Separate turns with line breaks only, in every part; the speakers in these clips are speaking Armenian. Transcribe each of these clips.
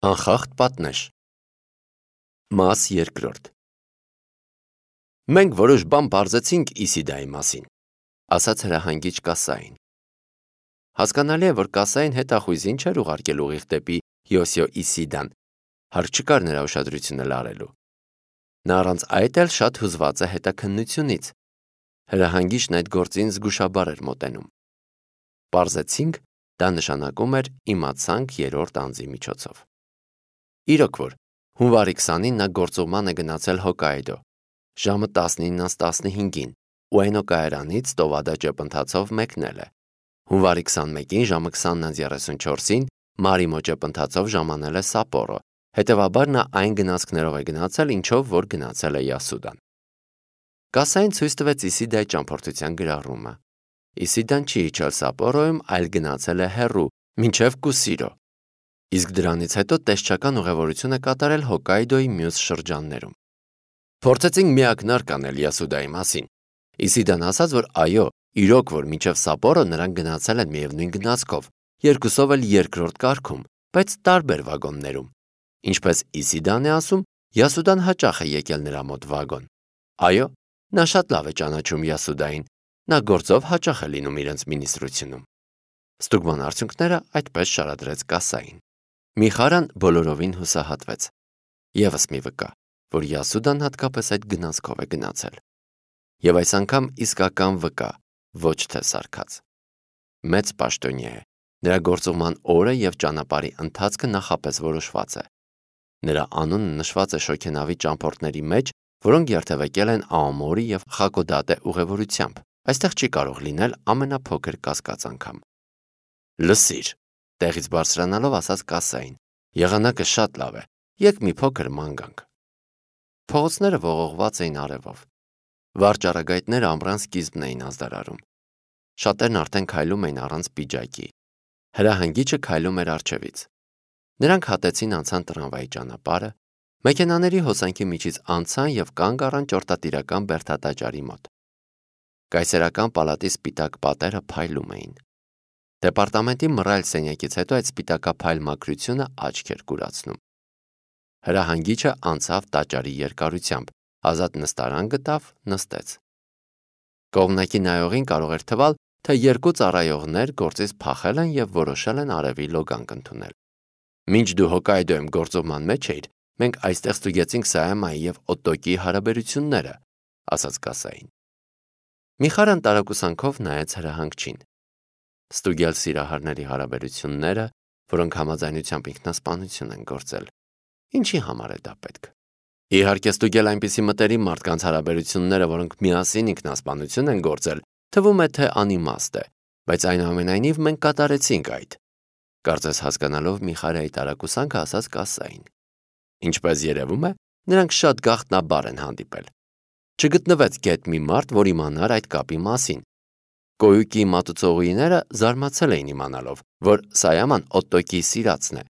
Անխախտ պատնեշ։ Մաս երկրորդ։ Մենք որոշ բան պարզեցինք Իսիդայի մասին, ասաց հրահանգիչ Կասային։ Հասկանալի է, որ Կասային հետախույզին չէր ուղարկել ուղիղ դեպի Յոսիո Իսիդան, հարկ չկար նրա ուշադրությունը լարելու։ Նա առանց այդ էլ շատ հուզված է հետաքննությունից։ Հրահանգիչն այդ գործին զգուշաբար էր մոտենում։ Պարզեցինք, դա նշանակում էր իմացանք երրորդ անձի միջոցով։ Իրոք որ, հունվարի 20-ին նա գործուղման է գնացել Հոկկայդո, ժամը 19:15-ին, Ուենո կայարանից Տովադա ճեպընթացով մեկնել է։ Հունվարի 21-ին ժամը 20:34-ին Մարիմո ճեպընթացով ժամանել է Սապորո, հետևաբար նա այն գնացքներով է գնացել, ինչով որ գնացել է Յասուդան։ Կասային ցույց տվեց Իսիդայի ճամփորդության գրառումը։ Իսիդան չի իջել Սապորոյում, այլ գնացել է հեռու, մինչև Կուսիրո։ Իսկ դրանից հետո տեսչական ուղևորություն է կատարել Հոկկայդոյի մյուս շրջաններում։ Փորձեցինք միակնարկ անել Յասուդայի մասին։ Իսիդան ասաց, որ այո, իրոք որ մինչև Սապորո նրանք գնացել են միևնույն գնացքով, երկուսով էլ երկրորդ կարգում, բայց տարբեր վագոններում։ Ինչպես Իսիդան է ասում, Յասուդան հաճախ է եկել նրա մոտ վագոն։ Այո, նա շատ լավ է ճանաչում Յասուդային, նա գործով հաճախ է լինում իրենց մինիստրությունում։ Ստուգման արդյունքները այդպես շարադրեց Կասային։ Միխարան բոլորովին հուսահատվեց։ Եվս մի վկա, որ Յասուդան հատկապես այդ գնացքով է գնացել։ Եվ այս անգամ իսկական վկա, ոչ թե սարքած։ Մեծ պաշտոնյա է, նրա գործուղման օրը և ճանապարհի ընթացքը նախապես որոշված է։ Նրա անունը նշված է շոգենավի ճամփորդների մեջ, որոնք երթևեկել են Աոմորի և Խակոդատե ուղևորությամբ։ Այստեղ չի կարող լինել ամենափոքր կասկած անգամ։ Լսիր, տեղից բարձրանալով ասաց Կասային, եղանակը շատ լավ է, եկ մի փոքր ման գանք։ Փողոցները ողողված էին արևով։ Վարճառագայթները ամռան սկիզբն էին ազդարարում։ Շատերն արդեն քայլում էին առանց պիջակի։ Հրահանգիչը քայլում էր առջևից։ Նրանք հատեցին անցան տրամվայի ճանապարհը, մեքենաների հոսանքի միջից անցան և կանգ առան ճորտատիրական բերդատաճարի մոտ։ Կայսերական պալատի սպիտակ պատերը փայլում էին։ Դեպարտամենտի մռայլ սենյակից հետո այդ սպիտակափայլ մաքրությունը աչք էր կուրացնում։ Հրահանգիչը անցավ տաճարի երկարությամբ, ազատ նստարան գտավ, նստեց։ Կողմնակի նայողին կարող էր թվալ, թե երկու ծառայողներ գործից փախել են և որոշել են արևի լոգանք ընդունել։ Մինչ դու Հոկկայդոյում գործուղման մեջ էիր, մենք այստեղ ստուգեցինք Սայամայի և Օտոկիի հարաբերությունները, ասաց Կասային։ Միխարան տարակուսանքով նայեց հրահանգչին։ Ստուգել սիրահարների հարաբերությունները, որոնք համաձայնությամբ ինքնասպանություն են գործել։ Ինչի համար է դա պետք։ Իհարկե ստուգել այնպիսի մտերիմ մարդկանց հարաբերությունները, որոնք միասին ինքնասպանություն են գործել, թվում է թե անիմաստ է, բայց այնուամենայնիվ մենք կատարեցինք այդ։ Կարծես հասկանալով Միխարայի տարակուսանքը ասաց Կասային։ Ինչպես երևում է, նրանք շատ գաղտնաբար են հանդիպել։ Չգտնվեց գետ մի մարդ, որ իմանար այդ կապի մասին։ Կոյուկի մատուցողուհիները զարմացել էին իմանալով, որ Սայաման Օտոկիի սիրածն է։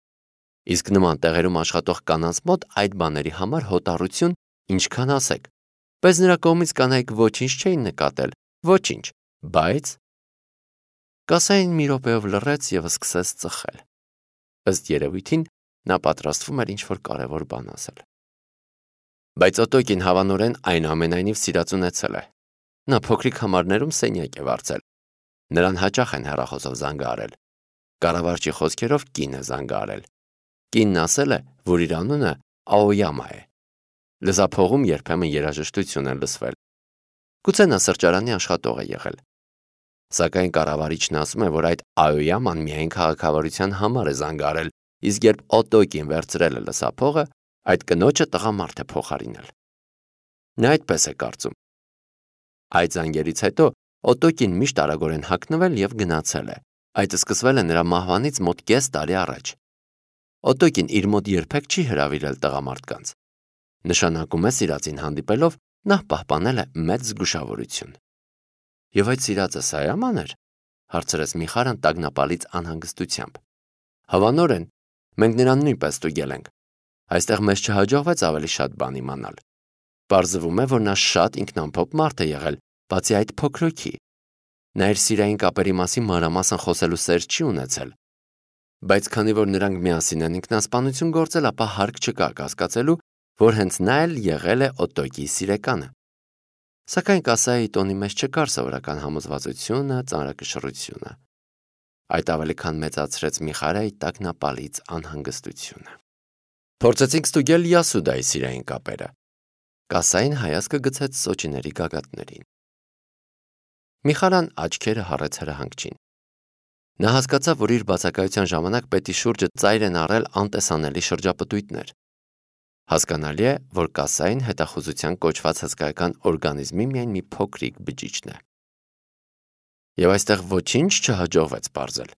Իսկ նման տեղերում աշխատող կանանց մոտ այդ բաների համար հոտառություն ինչքան ասեք։ Բայց նրա կողմից կանայք ոչինչ չէին նկատել, ոչինչ, բայց… Կասային մի րոպեով լռեց և սկսեց ծխել։ Ըստ երևույթին նա պատրաստվում էր ինչ-որ կարևոր բան ասել։ Բայց Օտոկին հավանորեն այնուամենայնիվ սիրած ունեցել է։ Նա փոքրիկ համարներում սենյակ է վարձել։ Նրան հաճախ են հեռախոսով զանգահարել։ Կառավարչի խոսքերով կին է զանգահարել։ Կինն ասել է, որ իր անունը Աոյամա է։ Լսափողում երբեմն երաժշտություն է լսվել։ Գուցե նա սրճարանի աշխատող է եղել։ Սակայն կառավարիչն ասում է, որ այդ Աոյաման միայն քաղաքավարության համար է զանգահարել, իսկ երբ Օտոկին վերցրել է լսափողը, այդ կնոջը տղամարդ է փոխարինել։ Նա այդպես է կարծում։ Այդ զանգերից հետո Օտոկին միշտ արագորեն հագնվել և գնացել է։ Այդ սկսվել է նրա մահվանից մոտ կես տարի առաջ։ Օտոկին իր մոտ երբեք չի հրավիրել տղամարդկանց։ Նշանակում է սիրածին հանդիպելով նա պահպանել է մեծ զգուշավորություն։ Եվ այդ սիրածը Սայաման էր, հարցրեց Միխարան տագնապալից անհանգստությամբ։ Հավանորեն, մենք նրան նույնպես ստուգել ենք։ Այստեղ մեզ չհաջողվեց ավելի շատ բան իմանալ։ Պարզվում է, որ նա շատ ինքնամփոփ մարդ է եղել, բացի այդ փոքրոքի։ Նա իր սիրային կապերի մասին մանրամասն խոսելու սեր չի ունեցել։ Բայց քանի որ նրանք միասին են ինքնասպանություն գործել, ապա հարկ չկա կասկածելու, որ հենց նա էլ եղել է Օտոկիի սիրեկանը։ Սակայն կասայի տոնի մեջ չկար սովորական համոզվածությունը, ծանրակշռությունը։ Այդ ավելի քան մեծացրեց Միխարայի տագնապալից անհանգստությունը։ Փորձեցինք ստուգել Յասուդայի սիրային կապերը։ Կասային հայացքը գցեց Սոճիների գագաթներին։ Միխարան աչքերը հառեց հրահանգչին։ Նա հասկացավ, որ իր բացակայության ժամանակ պետի շուրջը ծայր են առել անտեսանելի շրջապտույտներ։ Հասկանալի է, որ կասային հետախուզության կոչված հսկայական օրգանիզմի միայն մի փոքրիկ բջիջն է։ Եվ այստեղ ոչինչ չհաջողվեց պարզել,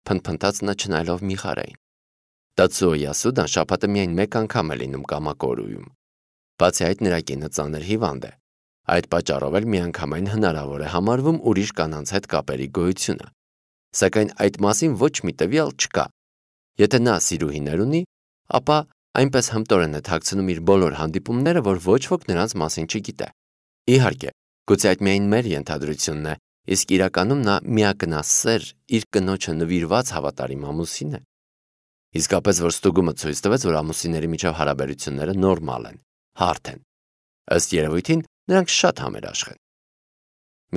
փնթփնթաց նա չնայելով Միխարային։ Տացուո Յասուդան շաբաթը միայն մեկ անգամ է լինում Կամակորուում։ Բացի այդ, նրա կինը ծանր հիվանդ է։ Այդ պատճառով էլ միանգամայն հնարավոր է համարվում ուրիշ կանանց հետ կապերի գոյությունը։ Սակայն այդ մասին ոչ մի տվյալ չկա։ Եթե նա սիրուհիներ ունի, ապա այնպես հմտորեն է թաքցնում իր բոլոր հանդիպումները, որ ոչ ոք նրանց մասին չգիտե։ Իհարկե, գուցե այդ միայն մեր ենթադրությունն է, իսկ իրականում նա միակնասեր իր կնոջը նվիրված հավատարիմ ամուսին է։ Իսկապես, որ ստուգումը ցույց տվեց, որ ամուսինների միջև հարաբերությունները նորմալ են, հարթ են։ Ըստ երևույթին, նրանք շատ համերաշխ են։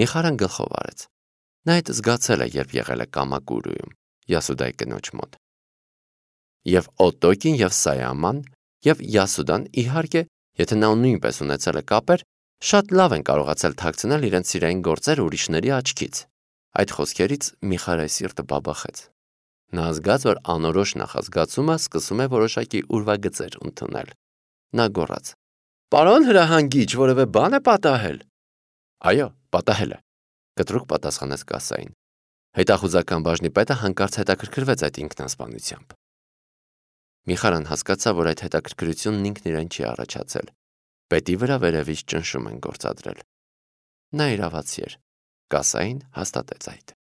Միխարան գլխով արեց։ Նա այդ զգացել է, երբ եղել է Կամակուրուում, Յասուդայի կնոջ մոտ։ Եվ Օտոկին, եւ Սայաման, եւ Յասուդան, իհարկե, եթե նա նույնպես ունեցել է կապեր, շատ լավ են կարողացել թաքցնել իրենց սիրային գործերը ուրիշների աչքից։ Այդ խոսքերից Միխարայի սիրտը բաբախեց։ Նա զգաց, որ անորոշ նախազգացումը սկսում է որոշակի ուրվագծեր ընդունել։ Նա գոռաց. «Պարոն հրահանգիչ, որևէ բան է պատահել»։ «Այո, պատահել է», կտրուկ պատասխանեց կասային։ Հետախուզական բաժնի պետը հանկարծ հետաքրքրվեց այդ ինքնասպանությամբ։ Միխարան հասկացավ, որ այդ հետաքրքրությունն ինքն իրեն չի առաջացել։ Պետի վրա վերևից ճնշում են գործադրել։ Նա իրավացի էր։ Կասային հաստատեց այդ։